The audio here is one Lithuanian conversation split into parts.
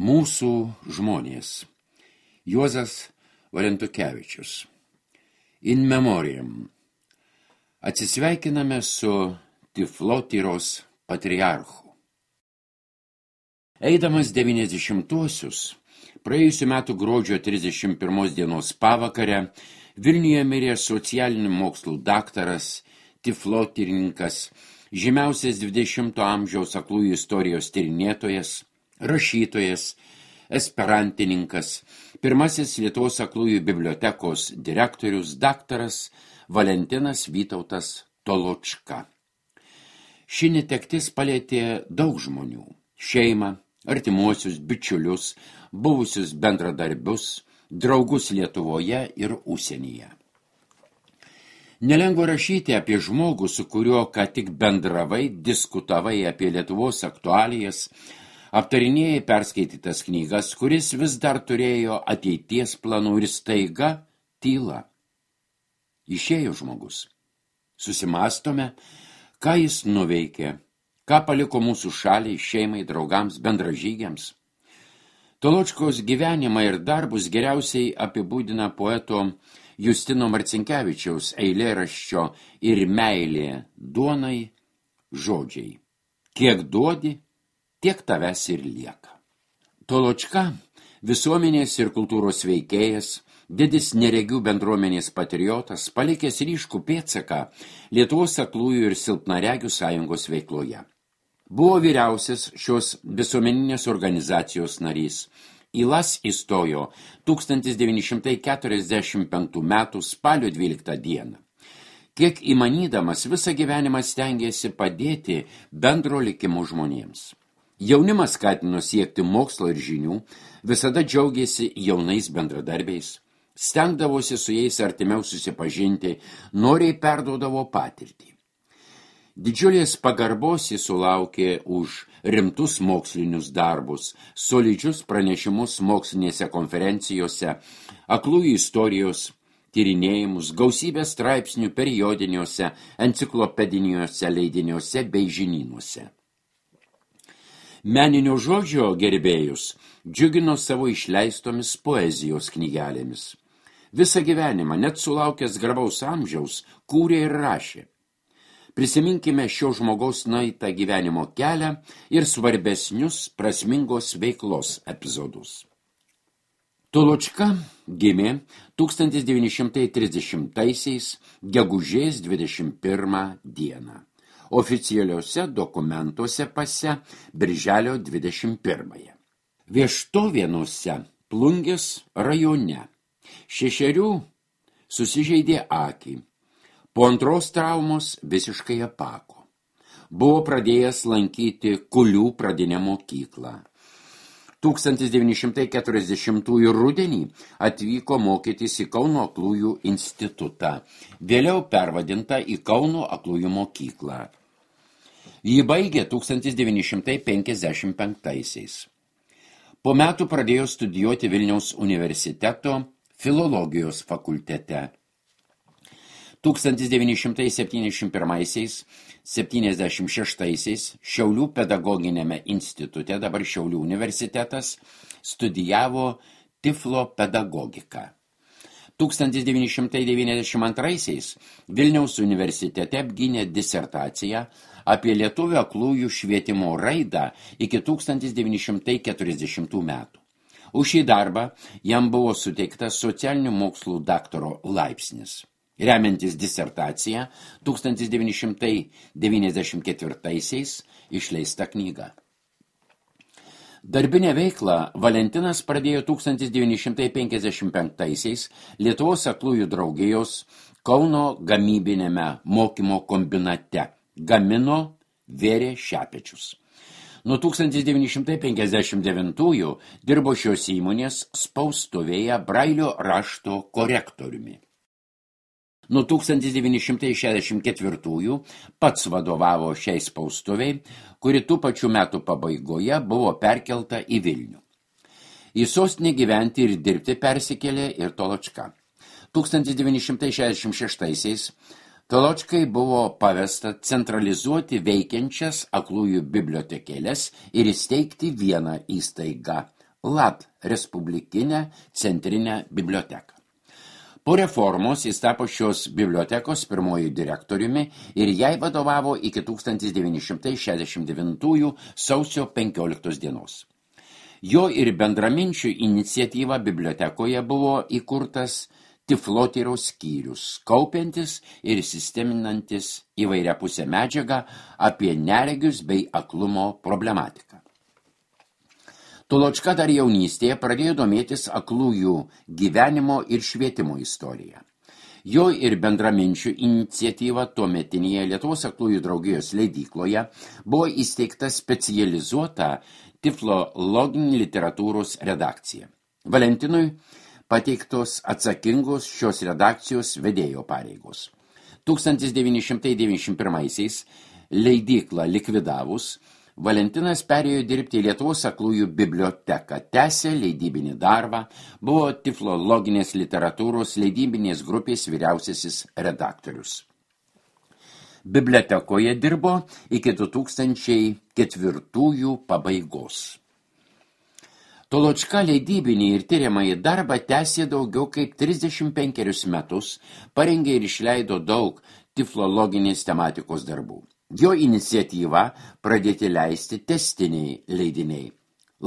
Mūsų žmonės. Juozas Valentukevičius. In memoriam. Atsisveikiname su Tiflotyros patriarchu. Eidamas 90-uosius, praėjusių metų gruodžio 31 dienos pavakarę, Vilniuje mirė socialinių mokslų daktaras, tiflotyrininkas, žymiausias 20 amžiaus aklųjų istorijos tyrinėtojas, rašytojas, esperantininkas, pirmasis Lietuvos aklųjų bibliotekos direktorius daktaras Valentinas Vytautas Toločka. Ši netektis palietė daug žmonių – šeimą, artimuosius, bičiulius, buvusius bendradarbius, draugus Lietuvoje ir užsienyje. Nelengva rašyti apie žmogų, su kuriuo ką tik bendravai, diskutavai apie Lietuvos aktualijas, aptarinėjai perskaitytas knygas, kuris vis dar turėjo ateities planų ir staiga tyla. Išėjo žmogus. Susimastome, ką jis nuveikė, ką paliko mūsų šaliai, šeimai, draugams, bendražygiams. Toločkos gyvenimą ir darbus geriausiai apibūdina poeto Justino Marcinkevičiaus eilėraščio Ir meilė duonai žodžiai. Kiek duodi, tiek tavęs ir lieka. Toločka, visuomenės ir kultūros veikėjas, didis neregių bendruomenės patriotas, palikęs ryškų pėdsaką Lietuvos aklųjų ir silpnaregių sąjungos veikloje. Buvo vyriausias šios visuomeninės organizacijos narys. Į LAS įstojo 1945 metų spalio 12 dieną. Kiek įmanydamas, visą gyvenimą stengėsi padėti bendro likimo žmonėms. Jaunimas skatino siekti mokslo ir žinių, visada džiaugėsi jaunais bendradarbiais, stengdavosi su jais artimiau susipažinti, noriai perduodavo patirtį. Didžiulės pagarbos jis sulaukė už rimtus mokslinius darbus, solidžius pranešimus mokslinėse konferencijose, aklųjų istorijos tyrinėjimus, gausybę straipsnių periodiniuose, enciklopediniuose leidiniuose bei žinynuose. Meninio žodžio gerbėjus džiugino savo išleistomis poezijos knygelėmis. Visą gyvenimą, net sulaukęs garbaus amžiaus, kūrė ir rašė. Prisiminkime šio žmogaus nueitą gyvenimo kelią ir svarbesnius prasmingos veiklos epizodus. Toločka gimė 1930-aisiais gegužės 21 dieną. Oficialiuose dokumentuose pase birželio 21. Vieštovėnuose Plungės rajone 6 susižeidė akį. Po antros traumos visiškai apako. Buvo pradėjęs lankyti Kulių pradinę mokyklą. 1940 rudenį atvyko mokytis į Kauno aklųjų institutą, vėliau pervadinta į Kauno aklųjų mokyklą. Jį baigė 1955. Po metų pradėjo studijuoti Vilniaus universiteto filologijos fakultete. 1971-76 Šiaulių pedagoginiame institute, dabar Šiaulių universitetas, studijavo tiflo pedagogiką. 1992 Vilniaus universitete apgynė disertaciją apie lietuvių aklųjų švietimo raidą iki 1940 metų. Už šį darbą jam buvo suteiktas socialinių mokslų daktaro laipsnis. Remiantis disertaciją, 1994 išleista knyga. Darbinę veiklą Valentinas pradėjo 1955 Lietuvos aklųjų draugijos Kauno gamybinėme mokymo kombinate. Gamino, vėrė šepečius. Nuo 1959 dirbo šios įmonės spaustuvėje Brailio rašto korektoriumi. Nuo 1964 pats vadovavo šiai spaustuviai, kuri tų pačių metų pabaigoje buvo perkelta į Vilnių. Į sostinę gyventi ir dirbti persikėlė ir Toločka. 1966 Toločkai buvo pavesta centralizuoti veikiančias aklųjų bibliotekėles ir įsteigti vieną įstaigą LAD Respublikinę centrinę biblioteką. Po reformos jis tapo šios bibliotekos pirmojų direktoriumi ir jai vadovavo iki 1969 sausio 15 dienos. Jo ir bendraminčių iniciatyva bibliotekoje buvo įkurtas tiflotyros skyrius, kaupiantis ir sisteminantis įvairiapusę medžiagą apie neregius bei aklumo problematiką. Toločka dar jaunystėje pradėjo domėtis aklųjų gyvenimo ir švietimo istoriją. Jo ir bendraminčių iniciatyva tuometinėje Lietuvos aklųjų draugijos leidykloje buvo įsteigta specializuota tiflologinė literatūros redakcija. Valentinui pateiktos atsakingos šios redakcijos vedėjo pareigos. 1991-aisiais leidyklą likvidavus, Valentinas perėjo dirbti į Lietuvos aklųjų biblioteką, tęsė leidybinį darbą, buvo tiflologinės literatūros leidybinės grupės vyriausiasis redaktorius. Bibliotekoje dirbo iki 2004 pabaigos. Toločka leidybinį ir tyriamąjį darbą tęsė daugiau kaip 35 metus, parengė ir išleido daug tiflologinės tematikos darbų. Jo iniciatyva pradėti leisti testiniai leidiniai.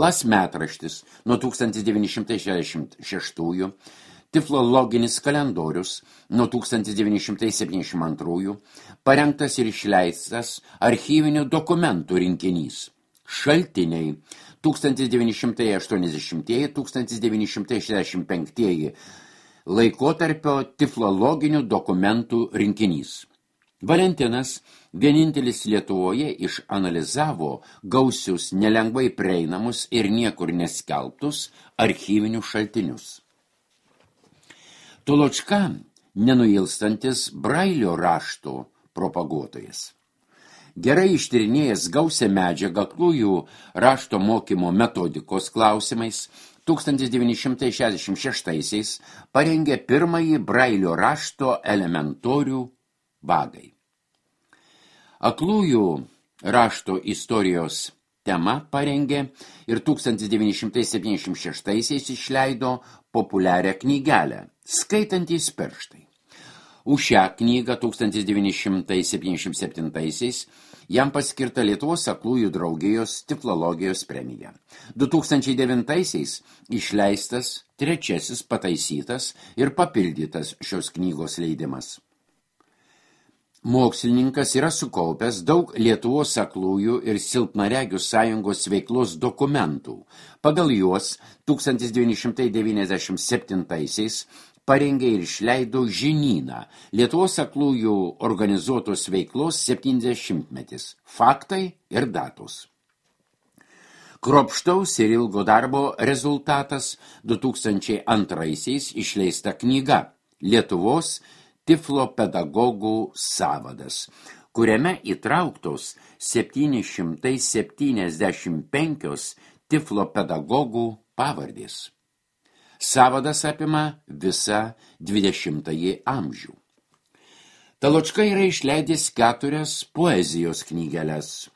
LAS metraštis nuo 1966, tiflologinis kalendorius nuo 1972, parengtas ir išleistas archyvinių dokumentų rinkinys. Šaltiniai 1980-1965 laikotarpio tiflologinių dokumentų rinkinys. Valentinas vienintelis Lietuvoje išanalizavo gausius, nelengvai prieinamus ir niekur neskelbtus archyvinius šaltinius. Toločka nenuilstantis Brailio rašto propaguotojas. Gerai ištyrinėjęs gausią medžiagą aklųjų rašto mokymo metodikos klausimais, 1966 parengė pirmąjį Brailio rašto elementorių vagai. Aklųjų rašto istorijos tema parengė ir 1976 išleido populiarią knygelę Skaitantys pirštai. Už šią knygą 1977 jam paskirta Lietuvos aklųjų draugijos tiflologijos premija. 2009 išleistas trečiasis pataisytas ir papildytas šios knygos leidimas. Mokslininkas yra sukaupęs daug Lietuvos aklųjų ir silpnaregių sąjungos veiklos dokumentų. Pagal juos 1997 parengė ir išleido žinyną Lietuvos aklųjų organizuotos veiklos 70-metis, faktai ir datos. Kruopštaus ir ilgo darbo rezultatas 2002 išleista knyga Lietuvos tiflopedagogų sąvadas, kuriame įtrauktos 775 tiflopedagogų pavardės. Sąvadas apima visą 20-ąjį amžių. Toločka yra išleidęs 4 poezijos knygeles: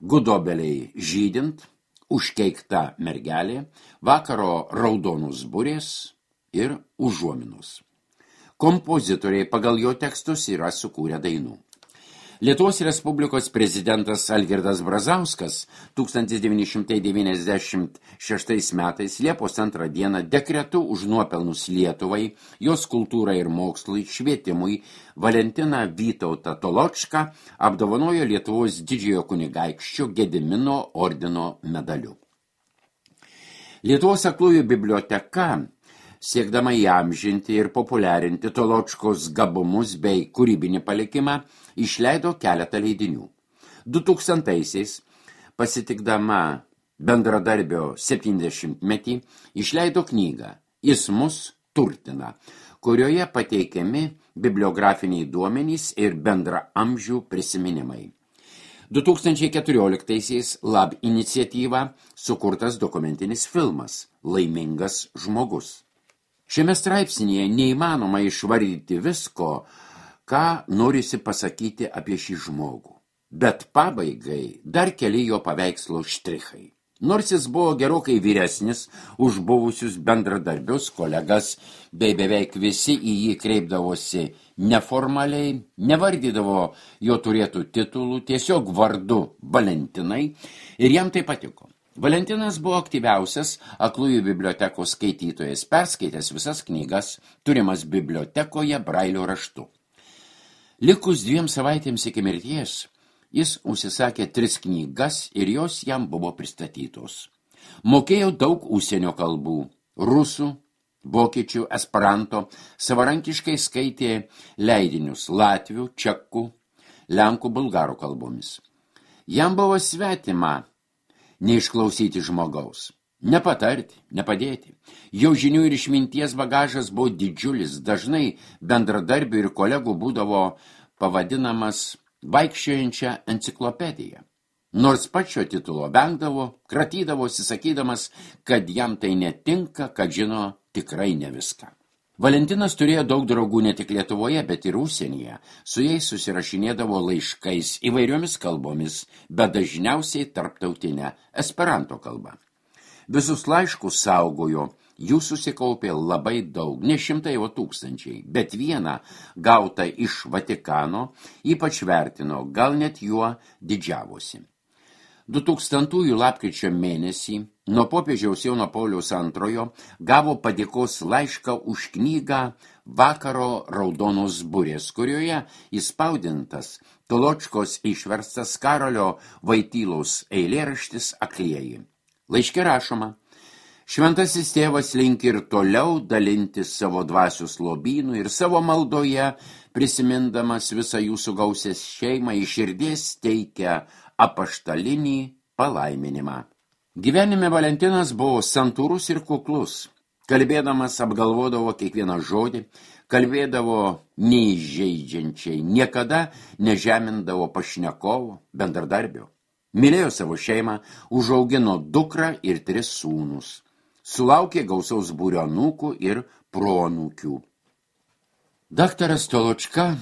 Gudobeliai žydint, Užkeikta mergelė, Vakaro raudonos burės ir Užuominos. Kompozitoriai pagal jo tekstus yra sukūrę dainų. Lietuvos Respublikos prezidentas Algirdas Brazauskas 1996 metais Liepos 2 dieną dekretu už nuopelnus Lietuvai, jos kultūrai ir mokslui, švietimui Valentiną Vytautą Toločką apdovanojo Lietuvos didžiojo kunigaikščio Gedimino ordino medaliu. Lietuvos aklųjų biblioteka, siekdama įamžinti ir populiarinti Toločkos gabumus bei kūrybinį palikimą, išleido keletą leidinių. 2000-aisiais, pasitikdama bendradarbio 70-metį, išleido knygą Jis mus turtina, kurioje pateikiami bibliografiniai duomenys ir bendraamžių prisiminimai. 2014-aisiais LAB iniciatyva sukurtas dokumentinis filmas Laimingas žmogus. Šiame straipsnyje neįmanoma išvardyti visko, ką norisi pasakyti apie šį žmogų. Bet pabaigai dar keli jo paveikslo štrichai. Nors jis buvo gerokai vyresnis už buvusius bendradarbius, kolegas, bei beveik visi į jį kreipdavosi neformaliai, nevardydavo jo turėtų titulų, tiesiog vardu Valentinai, ir jam tai patiko. Valentinas buvo aktyviausias aklųjų bibliotekos skaitytojas, perskaitęs visas knygas, turimas bibliotekoje Brailio raštu. Likus 2 savaitėms iki mirties, jis užsisakė 3 knygas ir jos jam buvo pristatytos. Mokėjo daug užsienio kalbų – rusų, vokiečių, esperanto, savarankiškai skaitė leidinius latvių, čekų, lenkų, bulgarų kalbomis. Jam buvo svetima neišklausyti žmogaus, nepatarti, nepadėti. Jo žinių ir išminties bagažas buvo didžiulis, dažnai bendradarbių ir kolegų būdavo pavadinamas vaikščiojančią enciklopediją. Nors pačio titulo vengdavo, kratydavosi sakydamas, kad jam tai netinka, kad žino tikrai ne viską. Valentinas turėjo daug draugų ne tik Lietuvoje, bet ir užsienyje. Su jais susirašinėdavo laiškais įvairiomis kalbomis, bet dažniausiai tarptautinę esperanto kalbą. Visus laiškus saugojo, jų susikaupė labai daug, ne šimtai, o tūkstančiai, bet vieną gautą iš Vatikano ypač vertino, gal net juo didžiavosi. 2000 lapkričio mėnesį nuo popiežiaus Jono Pauliaus II gavo padėkos laišką už knygą Vakaro raudonos burės, kurioje įspaudintas Toločkos išverstas Karolio Vaitylaus eilėraštis Aklieji. Laiške rašoma: Šventasis tėvas linki ir toliau dalintis savo dvasios lobynų ir savo maldoje, prisimindamas visą jūsų gausės šeimą, iš širdies teikia apaštalinį palaiminimą. Gyvenime Valentinas buvo santūrus ir kuklus. Kalbėdamas apgalvodavo kiekvieną žodį, kalbėdavo neįžeidžiančiai, niekada nežemindavo pašnekovo, bendradarbio. Mylėjo savo šeimą, užaugino dukrą ir 3 sūnus. Sulaukė gausaus būrio anūkų ir proanūkių. Daktaras Toločka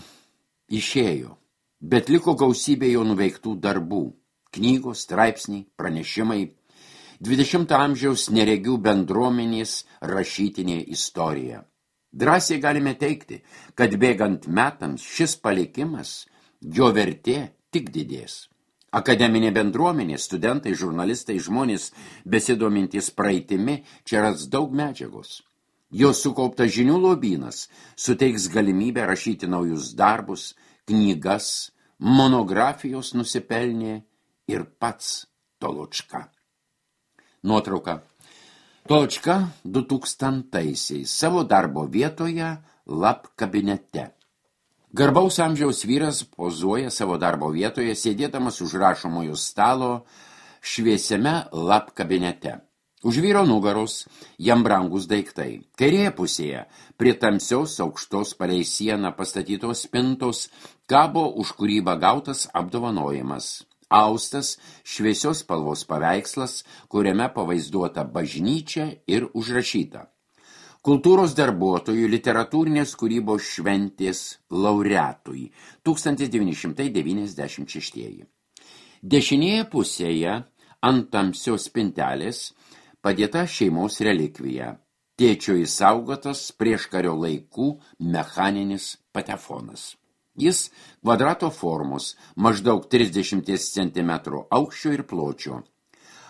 išėjo, bet liko gausybė jo nuveiktų darbų. Knygos, straipsniai, pranešimai, 20 amžiaus neregių bendruomenės rašytinė istorija. Drąsiai galime teigti, kad bėgant metams šis palikimas, jo vertė tik didės. Akademinė bendruomenė, studentai, žurnalistai, žmonės besidomintys praeitimi, čia ras daug medžiagos. Jos sukauptas žinių lobynas suteiks galimybę rašyti naujus darbus, knygas, monografijos nusipelnė ir pats Toločka. Nuotrauka. Toločka 2000-aisiais savo darbo vietoje lab kabinete. Garbaus amžiaus vyras pozuoja savo darbo vietoje, sėdėdamas už rašomojo stalo šviesiame lab kabinete. Už vyro nugaros jam brangus daiktai. Kairėje pusėje, prie tamsios aukštos palei sieną pastatytos spintos, kabo už kūrybą gautas apdovanojimas. Austas šviesios spalvos paveikslas, kuriame pavaizduota bažnyčia ir užrašyta: Kultūros darbuotojų literatūrinės kūrybos šventės laureatui 1996. Dešinėje pusėje ant tamsios spintelės padėta šeimos relikvija, tėčio įsaugotas prieškario laikų mechaninis patefonas. Jis kvadrato formos, maždaug 30 cm aukščio ir pločio.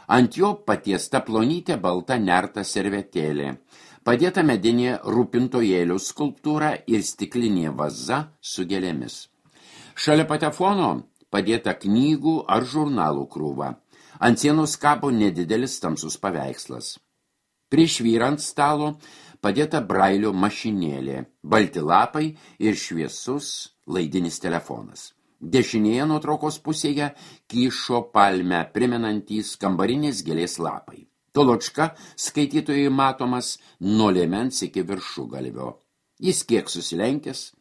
Ant jo patiesta plonytė balta nerta servetėlė, padėta medinė rūpintojėlių skulptūra ir stiklinė vaza su gėlėmis. Šalia patefono padėta knygų ar žurnalų krūva. Ant sienos kabo nedidelis tamsus paveikslas. Prieš vyrant stalo padėta Brailio mašinėlė, balti lapai ir šviesus laidinis telefonas. Dešinėje nuotraukos pusėje kyšo palmę primenantys kambarinės gėlės lapai. Toločka skaitytojai matomas nuo liemens iki viršugalvio. Jis kiek susilenkęs,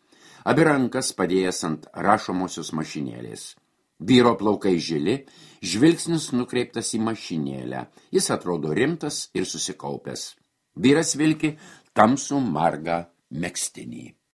abi rankas padėjęs ant rašomosios mašinėlės. Vyro plaukai žili, žvilgsnis nukreiptas į mašinėlę. Jis atrodo rimtas ir susikaupęs. Vyras vilki tamsų margą megztinį.